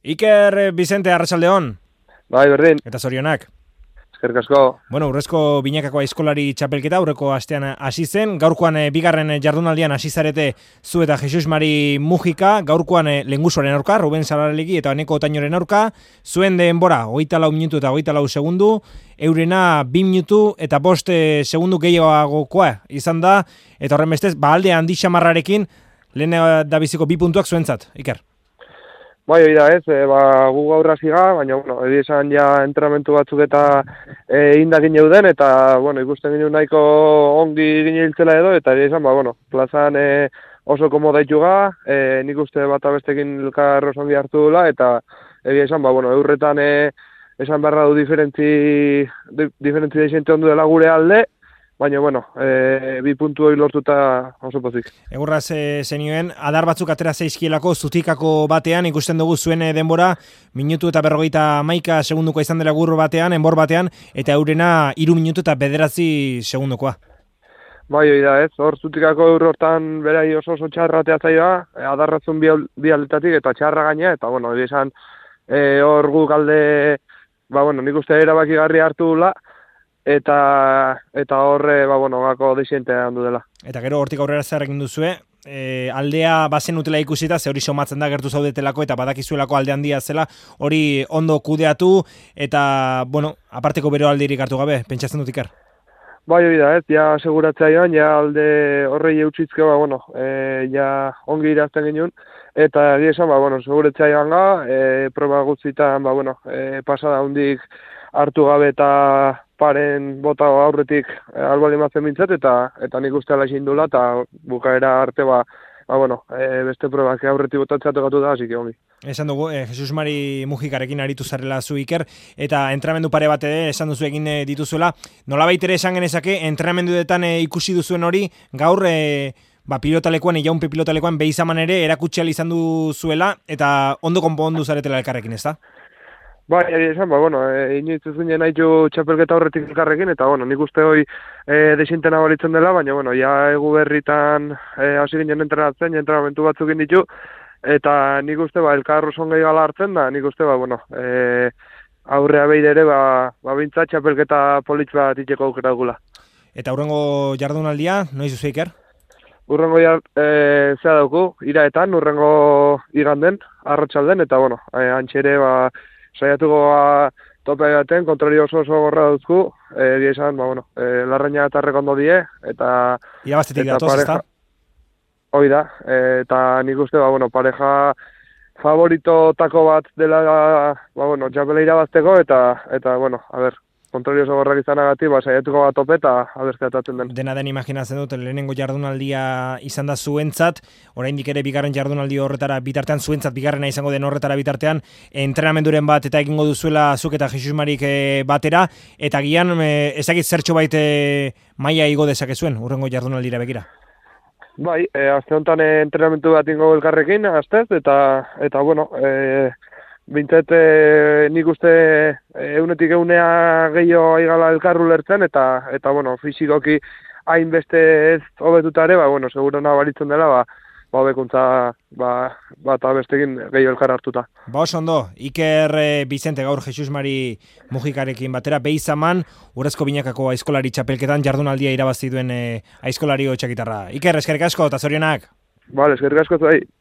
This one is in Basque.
Iker Vicente, arratsaldeon. Bai, berdin. Eta zorionak. Eskerrik asko. Bueno, urrezko binakako aizkolari txapelketa aurreko astean hasi zen. Gaurkoan bigarren jardunaldian hasi zarete zu eta Jesus Mari Mujika. Gaurkoan Lengusuaren aurka, Ruben Sararelegi eta Eneko Otainoren aurka. Zuen denbora, 24 minutu eta 24 segundu. Eurena 2 minutu eta 5 segundu gehiagokoa izan da. Eta horren bestez, alde handi xamarrarekin lehen da biziko 2 puntuak zuentzat, Iker. Bai, hori da ez, gu gaur hasiga, baina, egia esan ja entrenamentu batzuk eta indakin euden, eta, ikusten ginen nahiko ongi gine hiltzela edo, eta egia esan, plazan oso komodaitu ga, nik uste bat abestekin elkar oso ongi hartu dula, eta egia esan, eurretan esan beharra du diferentzi deixente ondu dela gure alde, baina, 2 puntu hori lortuta oso pozik. Egurraz zenioen, adar batzuk atera zeizkielako zutikako batean, ikusten dugu zuen denbora, minutu eta 51 segunduko izan dela gurro batean, enbor batean, eta eurena 3 minutu eta 9 segundukoa. Bai, hori da ez, hor zutikako hortan berai oso txarra zaioa, adarratzun bi aldetatik eta txarra gaina, eta hori esan hor guk alde, nik uste erabakigarri hartu dula, eta horre, gako deixente handu dela. Eta gero hortik aurrera zer egin duzue, aldea bazen utela ikusita, ze hori somatzen da gertu zaudetelako eta badakizuelako alde handia zela, hori ondo kudeatu, eta, aparteko bero aldirik hartu gabe, pentsatzen dut Iker? Bai, hori da, ez, ja seguratzea joan, ja alde horrei eutxitzke, ja ongi irazten ginen, eta esan, seguratzea joan ga, proba guztietan, pasada hundik hartu gabe eta paren bota aurretik albali mazen bintzat, eta nik uste ala izindula, eta bukaera arte, beste probak aurretik botatzea tokatu da, hasik ongi. Esan dugu, Jesus Mari Mujikarekin aritu zarela zu Iker, eta entrenamendu pare bat esan duzu egin dituzuela. Nolabait ere esan genezake, entrenamenduetan ikusi duzuen hori, gaur pilotalekuan, jaunpe pilotalekuan, behizaman ere erakutxeal izan duzuela, eta ondo konpondu zaretela elkarrekin, ez da? Bai, esan, inoiz ez ginen nahitu txapelketa horretik elkarrekin, eta, nik uste hoi desintena balitzen dela, baina, ja egu berritan hasi ginen entrenatzen, entrenamentu batzuk ditu, eta nik uste, elkar oso gehi gala hartzen da, nik uste, aurrea behide ere, bintzat txapelketa politx bat itxeko aukera dugula. Eta hurrengo jardunaldia, noiz duzu Iker? Hurrengo zea dauku, iraetan, hurrengo iganden, arratsalden, eta, antxere, saiatuko tope baten, kontroli oso gorra duzku, esan, larraina eta rekondo die, eta... Irabaztetik datoz, ez da? Hoi da, eta nik uste, pareja favoritotako bat dela, txapela irabazteko, eta, kontroli oso gorrak izanagatik, saiatuko bat tope eta abertzea den. Dena den imaginatzen dut, lehenengo jardunaldia izan da zuentzat, oraindik ere bigarren jardunaldi horretara bitartean, zuentzat bigarrena izango den horretara bitartean, entrenamenduren bat eta egingo duzuela zuk eta Jesus Marik batera, eta gian ezakit zertxo baite maila igo dezakezuen, hurrengo jardunaldira begira. Bai, azte honetan entrenamendu bat ingo elkarrekin, aztez, eta bintzet nik uste eunetik eunea gehiago aigala elkarru lertzen, eta fizikoki hainbeste ez hobetutare, seguro nabaritzen dela, hobekuntza bat abestekin gehiago elkar hartuta. Oso ondo, Iker Vicente gaur Jesus Mari Mujikarekin batera, behizaman, urrezko binakako aizkolari txapelketan jardunaldia irabazi duen aizkolari txakitarra. Iker, eskerrik asko eta zorionak. Eskerrik asko zuai.